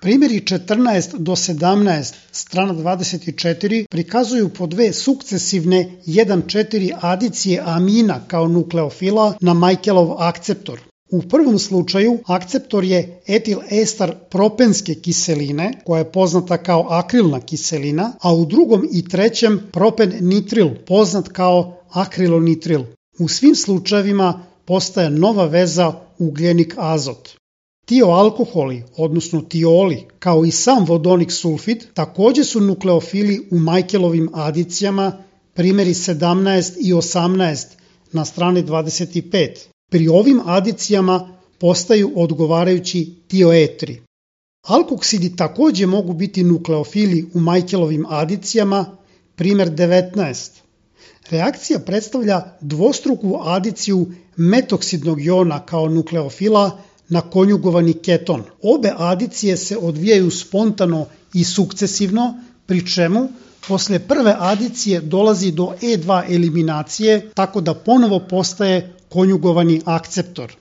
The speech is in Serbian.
Primjeri 14 do 17, strana 24, prikazuju po dve sukcesivne 1,4 adicije amina kao nukleofila na Michaelov akceptor. U prvom slučaju akceptor je etil ester propenske kiseline, koja je poznata kao akrilna kiselina, a u drugom i trećem propen nitril, poznat kao akrilonitril. U svim slučajevima postaje nova veza ugljenik azot. Tioalkoholi, odnosno tioli, kao i sam vodonik sulfid, takođe su nukleofili u Michaelovim adicijama, primjeri 17 i 18 na strani 25. Pri ovim adicijama postaju odgovarajući tioetri. Alkoksidi takođe mogu biti nukleofili u Michaelovim adicijama, primjer 19. Reakcija predstavlja dvostruku adiciju metoksidnog jona kao nukleofila na konjugovani keton. Obe adicije se odvijaju spontano i sukcesivno, pri čemu posle prve adicije dolazi do E2 eliminacije, tako da ponovo postaje konjugovani akceptor.